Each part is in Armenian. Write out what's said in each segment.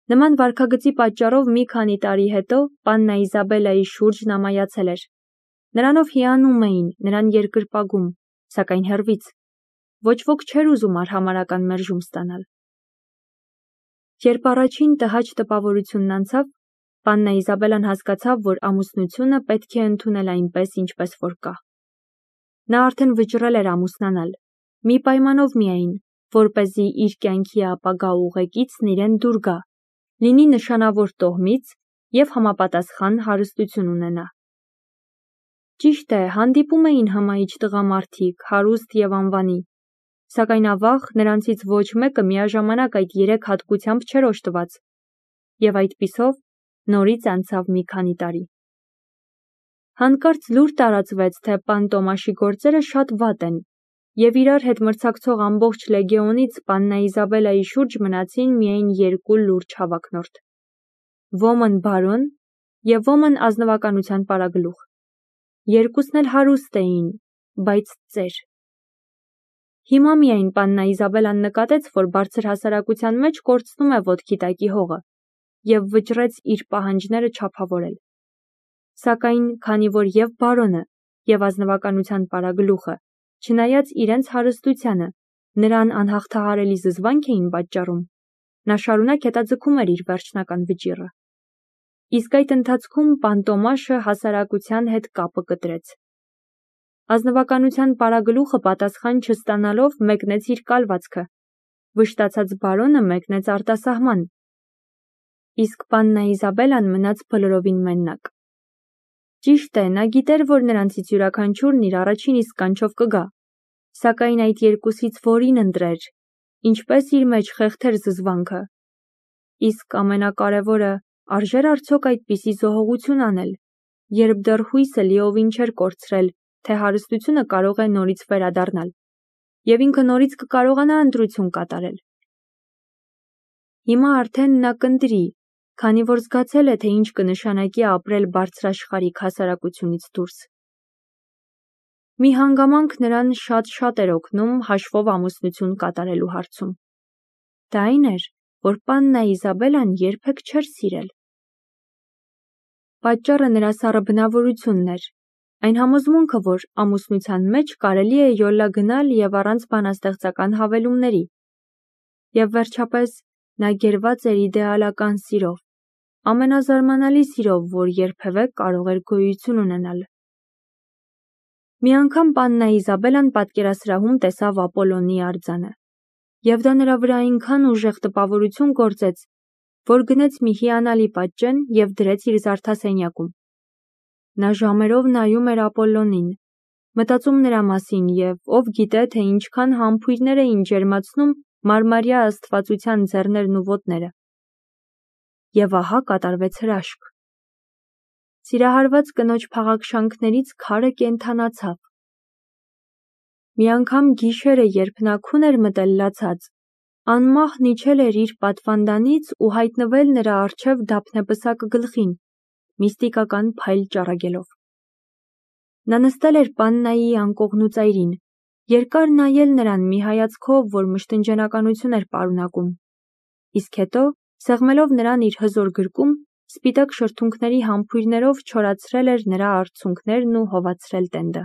Նման վարքագծի պատճառով մի քանի տարի հետո պաննա Իզաբելայի շուրջն ամայացել էր։ Նրանով հիանում էին, նրան երկրպագում, սակայն հեռվից։ Ոչ ոք չէր ուզում արհամարհական մերժում ստանալ։ Երբ առաջին տհաճ տպավորությունն անցավ, պաննա Իզաբելան հասկացավ, որ ամուսնությունը պետք է ընդունել այնպես, ինչպես որ կա։ Նա արդեն վճռել էր ամուսնանալ, մի պայմանով միայն, որպեսզի իր կյանքի ապագա ուղեկիցն իրեն դուր գա, լինի նշանավոր տոհմից և համապատասխան հարստություն ունենա։ Ճիշտ է, հանդիպում էին հմայիչ տղամարդիկ, հարուստ և անվանի, սակայն ավաղ նրանցից ոչ մեկը միաժամանակ այդ երեք հատկությամբ չէր օժտված, և այդպիսով նորից անցավ մի քանի տարի։ Հանկարծ լուր տարածվեց, թե պան Տոմաշի գործերը շատ վատ են, և իրար հետ մրցակցող ամբողջ լեգեոնից պաննա Իզաբելայի շուրջ մնացին միայն երկու լուրջ հավակնորդ. ոմն բարոն և ոմն ազնվականության պարագլուխ։ Երկուսն էլ հարուստ էին, բայց ծեր։ Հիմա միայն պաննա Իզաբելան նկատեց, որ բարձր հասարակության մեջ կորցնում է ոտքի տակի հողը և վճռեց իր պահանջները չափավորել։ Սակայն, քանի որ և բարոնը, և ազնվականության պարագլուխը, չնայած իրենց հարստությանը, նրան անհաղթահարելի զզվանք էին պատճառում, նա շարունակ հետաձգում էր իր վերջնական վճիռը։ Իսկ այդ ընթացքում պան Տոմաշը հասարակության հետ կապը կտրեց։ Ազնվականության պարագլուխը պատասխան չստանալով մեկնեց իր կալվածքը, վշտացած բարոնը մեկնեց արտասահման, իսկ պաննա Իզաբելան մնաց բոլորովին մենակ։ Ճիշտ է, նա գիտեր, որ նրանցից յուրաքանչյուրն իր առաջին իսկ կանչով կգա, սակայն այդ երկուսից որին ընտրեր, ինչպես իր մեջ խեղդեր զզվանքը։ Իսկ ամենակարևորը, արժեր արդյոք այդպիսի զոհողություն անել, երբ դեռ հույսը լիովին չէր կորցրել, թե հարստությունը կարող է նորից վերադառնալ, և ինքը նորից կկարողանա ընտրություն կատարել։ Հիմա արդեն նա կընտրի, քանի որ զգացել է, թե ինչ կնշանակի ապրել բարձրաշխարհիկ հասարակությունից դուրս։ Մի հանգամանք նրան շատ էր օգնում հաշվով ամուսնություն կատարելու հարցում։ Դա այն էր, որ պաննա Իզաբելան երբեք չէր սիրել։ Պատճառը նրա սառը բնավորությունն էր, այն համոզմունքը, որ ամուսնության մեջ կարելի է յոլա գնալ և առանց բանաստեղծական հավելումների։ Եվ վերջապես, նա գերված էր իդեալական սիրով, ամենազարմանալի սիրով, որ երբևէ կարող էր գոյություն ունենալ։ Մի անգամ պաննա Իզաբելան պատկերասրահում տեսավ Ապոլոնի արձանը, և դա նրա վրա այնքան ուժեղ տպավորություն գործեց, որ գնեց մի հիանալի պատճեն և դրեց իր զարդասենյակում։ Նա ժամերով նայում էր Ապոլլոնին, մտածում նրա մասին և ով գիտե, թե ինչքան համբույրներ էին ջերմացնում մարմարյա աստվածության ձեռներն ու ոտները։ Եվ ահա կատարվեց հրաշք։ Սիրահարված կնոջ փաղաքշանքներից քարը կենդանացավ։ Մի անգամ գիշերը, երբ նա քուն էր մտել լացած, անմահն իջել էր իր պատվանդանից ու հայտնվել նրա առջև դափնեպսակ գլխին, միստիկական փայլ ճառագելով։ Նա նստել էր պաննայի անկողնու ծայրին, երկար նայել նրան մի հայացքով, որ մշտնջենականություն էր պարունակում, իսկ հետո, սեղմելով նրան իր հզոր գրկում, սպիտակ շրթունքների համբույրներով չորացրել էր նրա արցունքներն ու հովացրել տենդը։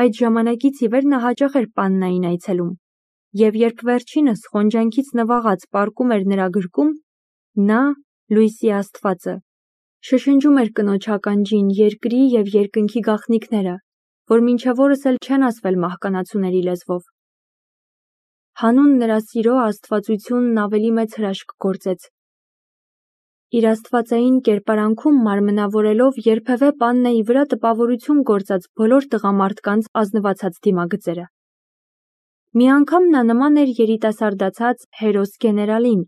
Այդ ժամանակից ի վեր նա հաճախ էր պաննային այցելում, և երբ վերջինս խոնջանքից նվաղած պառկում էր նրա գրկում, նա, լույսի աստվածը, շշնջում էր կնոջ ականջին երկրի և երկնքի գաղտնիքները, որ մինչև օրս էլ չեն ասվել մահկանացուների լեզվով։ Հանուն նրա սիրո աստվածությունն ավելի մեծ հրաշք գործեց։ Իր աստվածային կերպարանքում մարմնավորելով երբևէ պաննայի վրա տպավորություն գործած բոլոր տղամարդկանց ազնվացած դիմագծերը։ Մի անգամ նա նման էր երիտասարդացած հերոս գեներալին,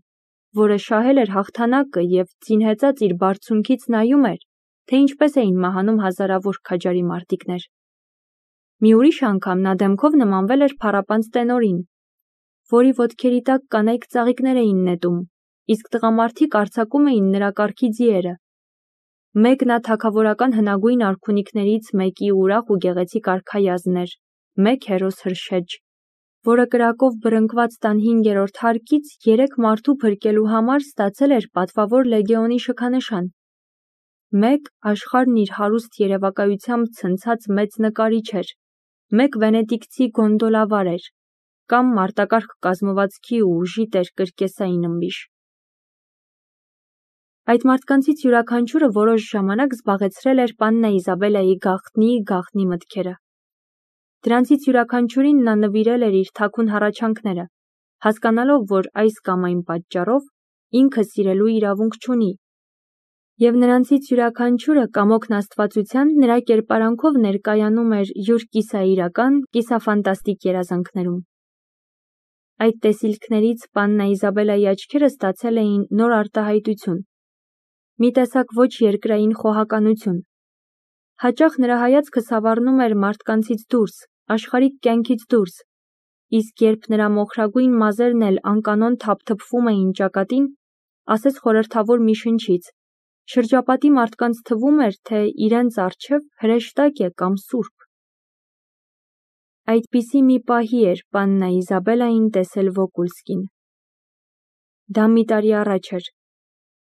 որը շահել էր հաղթանակը և ձինհեծած իր բարձունքից նայում էր, թե ինչպես էին մահանում հազարավոր քաջարի մարտիկներ։ Մի ուրիշ անգամ նա դեմքով նմանվել էր փառապանծ տենորին, որի ոտքերի տակ կանայք ծաղիկներ էին նետում, իսկ տղամարդիկ արձակում էին նրա կառքի ձիերը։ Մեկ նա թագավորական հնագույն արքունիքներից մեկի ուրախ ու գեղեցիկ արքայազն էր, մեկ հերոս հրշեջ, որը կրակով բռնկված 15-րդ հարկից 3 մարդու փրկելու համար ստացել էր պատվավոր լեգեոնի շքանշան։ 1 աշխարհն իր հարուստ երևակայությամբ ցնցած մեծ նկարիչ էր, 1 վենետիկցի գոնդոլավար էր, կամ մարտակարգ կազմվածքի ու ուժի տեր կրկեսային ըմբիշ։ Այդ մարդկանցից յուրաքանչյուրը որոշ ժամանակ զբաղեցրել էր պաննա Իզաբելայի գաղտնի մտքերը։ Դրանցից յուրաքանչյուրին նա նվիրել էր իր թաքուն հառաչանքները, հասկանալով, որ այս կամ այն պատճառով ինքը սիրելու իրավունք չունի, և նրանցից յուրաքանչյուրը կամոքն աստվածության նրա կերպարանքով ներկայանում էր յուր կիսաիրական, կիսաֆանտաստիկ երազանքներում։ Այդ տեսիլքներից պաննա Իզաբելայի աչքերը ստացել էին նոր արտահայտություն, մի տեսակ ոչ երկրային խոհականություն։ Հաճախ նրա հայացքը սավառնում էր մարդկանցից դուրս, աշխարհիկ կյանքից դուրս, իսկ երբ նրա մոխրագույն մազերն էլ անկանոն թափթփվում էին ճակատին, ասես խորհրդավոր մի շնչից, շրջապատի մարդկանց թվում էր, թե իրենց առջև հրեշտակ է կամ սուրբ։ Այդպիսի մի պահի էր պաննա Իզաբելային տեսել Վոկուլսկին։ Դա մի տարի առաջ էր։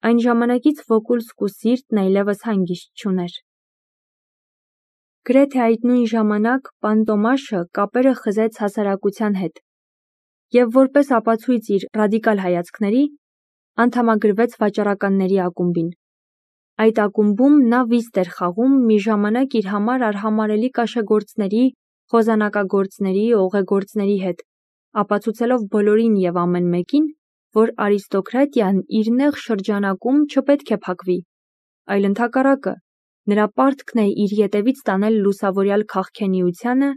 Այն ժամանակից Վոկուլսկու սիրտն այլևս հանգիստ չուներ։ Գրեթե այդ նույն ժամանակ պան Տոմաշը կապերը խզեց հասարակության հետ և որպես ապացույց իր ռադիկալ հայացքների, անդամագրվեց վաճառականների ակումբին։ Այդ ակումբում նա վիստ էր խաղում մի ժամանակ իր համար արհամարհելի կաշեգործների, խոզանակագործների, օղեգործների հետ, ապացուցելով բոլորին և ամեն մեկին, որ արիստոկրատիան իր նեղ շրջանակում չպետք է փակվի, այլ ընդհակառակը, նրա պարտքն է իր ետևից տանել լուսավորյալ քաղքենիությանը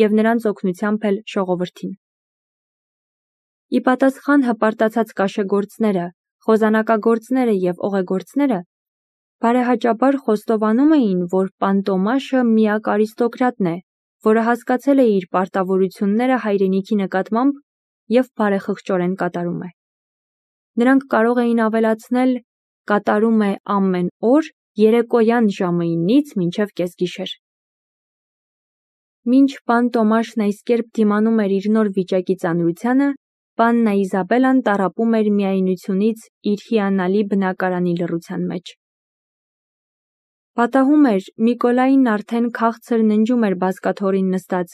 և նրանց օգնությամբ էլ ժողովրդին։ Ի պատասխան հպարտացած կաշեգործները, խոզանակագործները և օղեգործները բարեհաճաբար խոստովանում էին, որ պան Տոմաշը միակ արիստոկրատն է, որը հասկացել է իր պարտավորությունները հայրենիքի նկատմամբ և բարեխղճորեն կատարում է։ Նրանք կարող էին ավելացնել կատարում է ամեն օր երեկոյան ժամը 9-ից մինչև կեսգիշեր։ Մինչ պան Տոմաշն այս կերպ դիմանում էր իր նոր վիճակի ծանրությանը, պաննա Իզաբելան տառապում էր միայնությունից իր հիանալի բնակարանի լռության մեջ։ Պատահում էր Միկոլային արդեն քաղցր ննջում էր բազկաթոռին նստած,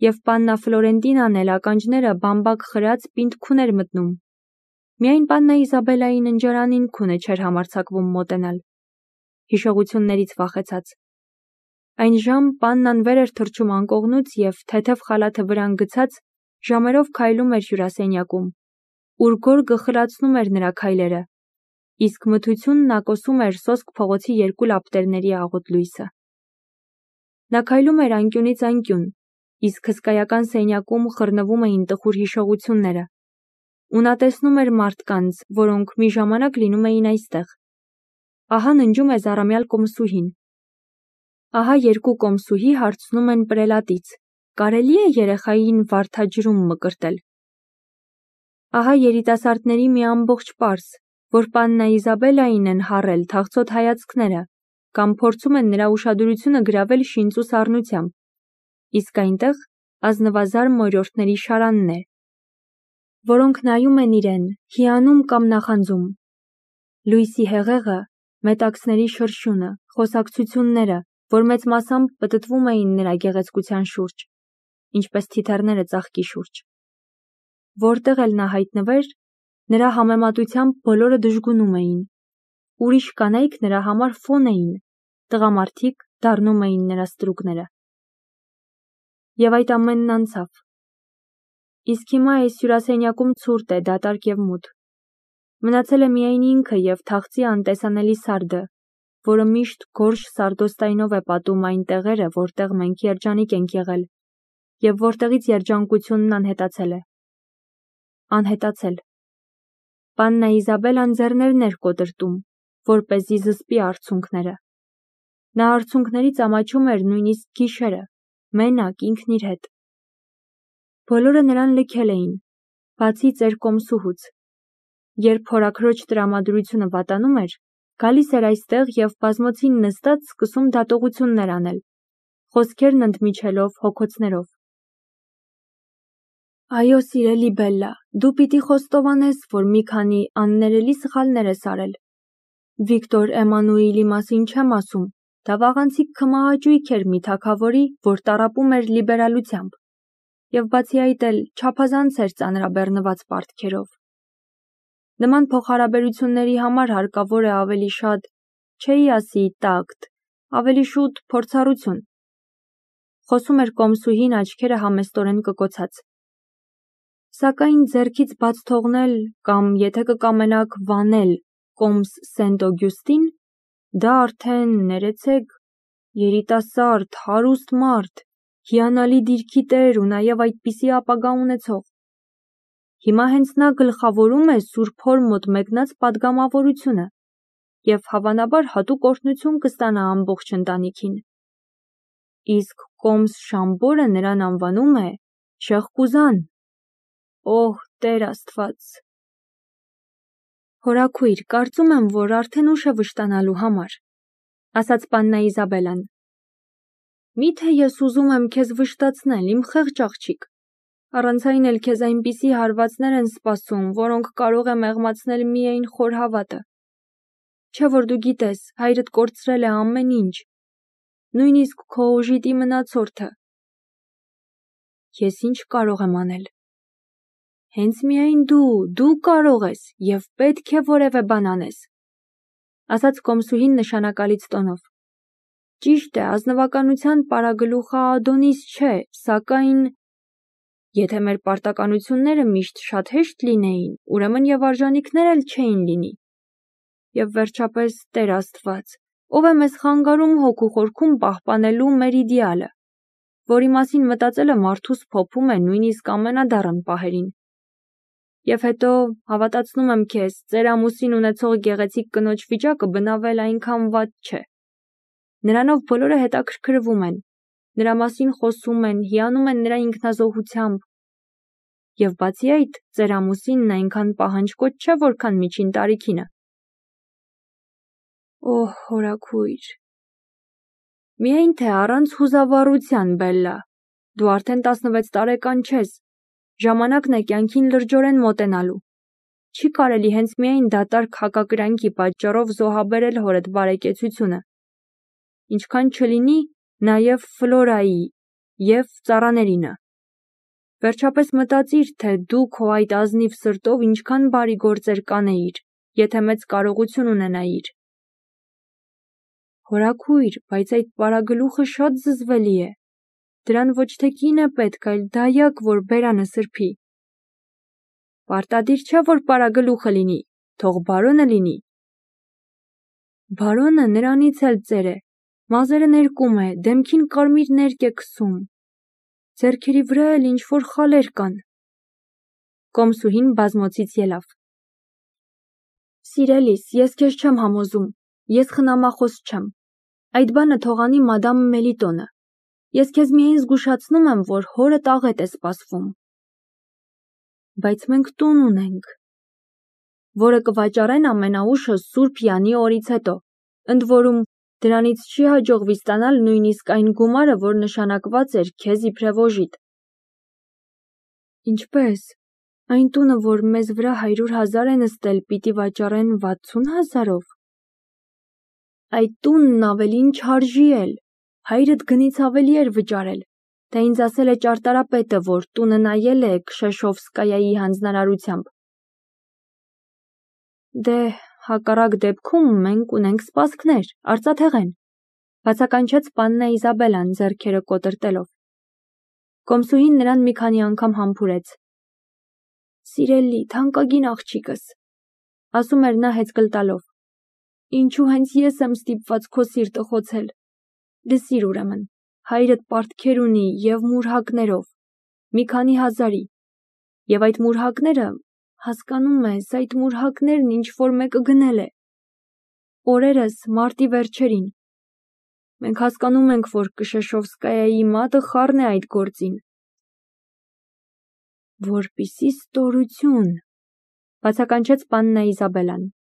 և պաննա Ֆլորենտինան էլ ականջները բամբակ խրած պինդ քուն էր մտնում։ Միայն պաննա Իզաբելայի ննջարանին քունը չէր համարձակվում մոտենալ, հիշողություններից վախեցած։ Այն ժամ պաննան վեր էր թռչում անկողնուց և թեթև խալաթը վրան գցած ժամերով քայլում էր հյուրասենյակում, ուր գորգը խլացնում էր նրա քայլերը, իսկ մթությունն ակոսում էր սոսկ փողոցի երկու լապտերների աղոտ լույսը։ Նա քայլում էր անկյունից անկյուն, իսկ հսկայական սենյակում խռնվում էին տխուր հիշողությունները, ու նա տեսնում էր մարդկանց, որոնք մի ժամանակ լինում էին այստեղ։ Ահա ննջում է զառամյալ կոմսուհին։ Ահա երկու կոմսուհի հարցնում են պրելատից. կարելի է երեխային վարդաջրում մկրտել։ Ահա երիտասարդների մի ամբողջ պարս, որ պաննա Իզաբելային են հառել թախծոտ հայացքները կամ փորձում են նրա ուշադրությունը գրավել շինծու սառնությամբ, իսկ այնտեղ ազնվազար մորյորդների շարանն է, որոնք նայում են իրեն, հիանում կամ նախանձում։ Լույսի հեղեղը, մետաքսների շրշյունը, խոսակցությունները, որ մեծ մասամբ պտտվում էին նրա գեղեցկության շուրջ, ինչպես թիթեռները ծաղկի շուրջ։ Որտեղ էլ նա հայտնվեր, նրա համեմատությամբ բոլորը դժգունում էին։ Ուրիշ կանայք նրա համար ֆոն էին, տղամարդիկ դառնում էին նրա ստրուկները։ Եվ այդ ամենն անցավ։ Իսկ հիմա այս հյուրասենյակում ցուրտ է, դատարկ և մութ։ Մնացել է միայն ինքը և թախծի անտեսանելի սարդը, որը միշտ գորշ սարդոստայնով է պատում այն տեղերը, որտեղ մենք երջանիկ ենք եղել, և որտեղից երջանկությունն անհետացել է։ Անհետացել։ Պաննա Իզաբելան ձեռներն էր կոտրտում, որպեսզի զսպի արցունքները։ Նա արցունքներից ամաչում էր նույնիսկ գիշերը, մենակ ինքն իր հետ։ Բոլորը նրան լքել էին, բացի ծեր կոմսուհուց։ Երբ հորաքրոջ տրամադրությունը վատանում էր, գալիս էր այստեղ և բազմոցին նստած սկսում դատողություններ անել, խոսքերն ընդմիջելով հոգոցներով։ Այո, սիրելի Բելլա, դու պիտի խոստովանես, որ մի քանի աններելի սխալներ ես արել։ Վիկտոր Էմանուիլի մասին չեմ ասում, դա վաղանցիկ քմահաճույք էր մի թագավորի, որ տառապում էր լիբերալությամբ, և բացի այդ էլ չափազանց էր ծանրաբեռնված պարտքերով։ Նման փոխհարաբերությունների համար հարկավոր է ավելի շատ, չէի ասի տակտ, ավելի շուտ փորձառություն։ Խոսում էր կոմսուհին աչքերը համեստորեն կկոցած։ Սակայն ձեռքից բաց թողնել կամ եթե կկամենաք վանել կոմս Սենտ-Օգյուստին, դա արդեն, ներեցեք, երիտասարդ, հարուստ մարդ, հիանալի դիրքի տեր ու նաև այդպիսի ապագա ունեցող։ Հիմա հենց նա գլխավորում է Սուրբ Հոր մոտ մեկնած պատգամավորությունը և հավանաբար հատուկ օրհնություն կստանա ամբողջ ընտանիքին։ Իսկ կոմս Շամբորը նրան անվանում է Շեղկուզան։ Օհ, Տեր Աստված։ Հորաքույր, կարծում եմ, որ արդեն ուշ է վշտանալու համար, ասաց պաննա Իզաբելան։ Միթե ես ուզում եմ քեզ վշտացնել, իմ խեղճ աղջիկ։ Առանց այն էլ քեզ այնպիսի հարվածներ են սպասում, որոնք կարող է մեղմացնել միայն խոր հավատը։ Չէ՞ որ դու գիտես, հայրդ կորցրել է ամեն ինչ, նույնիսկ քո օժիտի մնացորդը։ Ես ինչ կարող եմ անել։ Հենց միայն դու կարող ես և պետք է որևէ բան անես, ասաց կոմսուհին նշանակալից տոնով։ Ճիշտ է, ազնվականության պարագլուխը Ադոնիս չէ, սակայն եթե մեր պարտականությունները միշտ շատ հեշտ լինեին, ուրեմն և արժանիքներ էլ չէին լինի։ Եվ վերջապես, Տեր Աստված, ով է մեզ խանգարում հոգու խորքում պահպանելու մեր իդեալը, որի մասին մտածելը մարդուս փոփում է նույնիսկ ամենադառն պահերին։ Եվ հետո, հավատացնում եմ քեզ, ծեր ամուսին ունեցող գեղեցիկ կնոջ վիճակը բնավել այնքան վատ չէ։ Նրանով բոլորը հետաքրքրվում են, նրա մասին խոսում են, հիանում են նրա ինքնազոհությամբ։ Եվ բացի այդ, ծեր ամուսինն այնքան պահանջկոտ չէ, որքան միջին տարիքինը։ Օհ, հորաքույր։ Միայն թե առանց հուզավառության, Բելլա, դու արդեն 16 տարեկան չես, ժամանակն է կյանքին լրջորեն մոտենալու։ Չի կարելի հենց միայն դատարկ հակակրանքի պատճառով զոհաբերել հորդ բարեկեցությունը։ Ինչքան չլինի, նաև Ֆլորայի և ծառաներինը։ Վերջապես մտածիր, թե դու քո այդ ազնիվ սրտով ինչքան բարի գործեր կանեիր, եթե մեծ կարողություն ունենայիր։ Հորաքույր, բայց այդ պարագլուխը շատ զզվելի է։ Դրան ոչ թե կին է պետք, այլ դայակ, որ բերանը սրբի։ Պարտադիր չէ, որ պարագլուխը լինի, թող բարոնը լինի։ Բարոնը նրանից էլ ծեր է, մազերը ներկում է, դեմքին կարմիր ներկ է քսում։ Ձեռքերի վրա էլ ինչ-որ խալեր կան։ Կոմսուհին բազմոցից ելավ։ Սիրելիս, ես քեզ չեմ համոզում, ես խնամախոս չեմ։ Այդ բանը թողանի մադամ Մելիտոնը։ Ես քեզ միայն զգուշացնում եմ, որ հորդ աղետ է սպասվում։ Բայց մենք տուն ունենք, որը կվաճառեն ամենաուշը Սուրբ Յանի օրից հետո, ընդ որում դրանից չի հաջողվի ստանալ նույնիսկ այն գումարը, որ նշանակված էր քեզ իբրև օժիտ։ Ինչպե՞ս։ Այն տունը, որ մեզ վրա 100,000 է նստել, պիտի վաճառեն 60,000-ով։ Այդ տունն ավելին չարժի էլ, հայրդ գնից ավելի էր վճարել, դա ինձ ասել է ճարտարապետը, որ տունը նայել է Քշեշովսկայայի հանձնարարությամբ։ Դե, հակառակ դեպքում մենք ունենք սպասքներ, արծաթեղեն, բացականչեց պաննա Իզաբելան ձեռքերը կոտրտելով։ Կոմսուհին նրան մի քանի անգամ համբուրեց։ Սիրելի, թանկագին աղջիկս, ասում էր նա հեծկլ տալով։ Ինչու հենց ես եմ ստիպված քո սիրտը խոցել։ Լսիր ուրեմն, հայրդ պարտքեր ունի և մուրհակներով, մի քանի հազարի, և այդ մուրհակները, հասկանում ես, այդ մուրհակներն ինչ-որ մեկը գնել է։ Օրերս, մարտի վերջերին։ Մենք հասկանում ենք, որ Քշեշովսկայայի մատը խառն է այդ գործին։ Որպիսի ստորություն, բացականչեց պաննա Իզաբելան։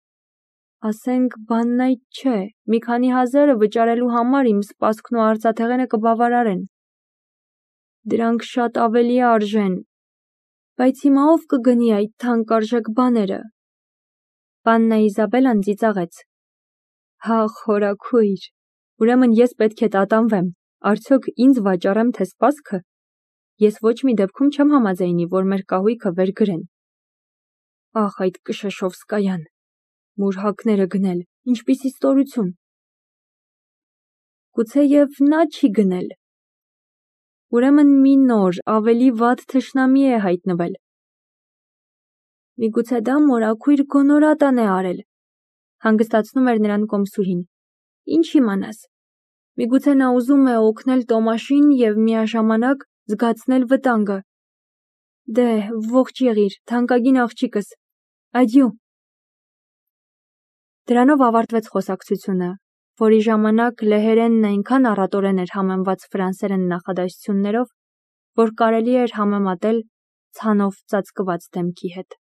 Ասենք, բանն այդ չէ, մի քանի հազարը վճարելու համար իմ սպասքն ու արծաթեղենը կբավարարեն։ Դրանք շատ ավելի արժեն։ Բայց հիմա ով կգնի այդ թանկարժեք բաները։ Պաննա Իզաբելան ծիծաղեց։ Հա, խորաքույր, ուրեմն ես պետք է տատանվեմ, արդյոք ինձ վաճառեմ թե սպասքը։ Ես ոչ մի դեպքում չեմ համաձայնի, որ մեր կահույքը վերգրեն։ Ախ, այդ Կշեշովսկայան, մուրհակները գնել, ինչպիսի ստորություն։ Գուցեև նա չի գնել։ Ուրեմն մի նոր, ավելի վատ թշնամի է հայտնվել։ Միգուցե դա մորաքույր գոնորատան է արել, հանգստացնում էր նրան կոմսուհին։ Ինչ իմանաս։ Միգուցե նա ուզում է օգնել Տոմաշին և միաժամանակ զգացնել վտանգը։ Դե, ողջ եղիր, թանկագին աղջիկս, ադյու։ Դրանով ավարտվեց խոսակցությունը, որի ժամանակ լեհերենն այնքան առատորեն էր համեմված ֆրանսերեն նախադասություններով, որ կարելի էր համեմատել ցանով ծածկված դեմքի հետ։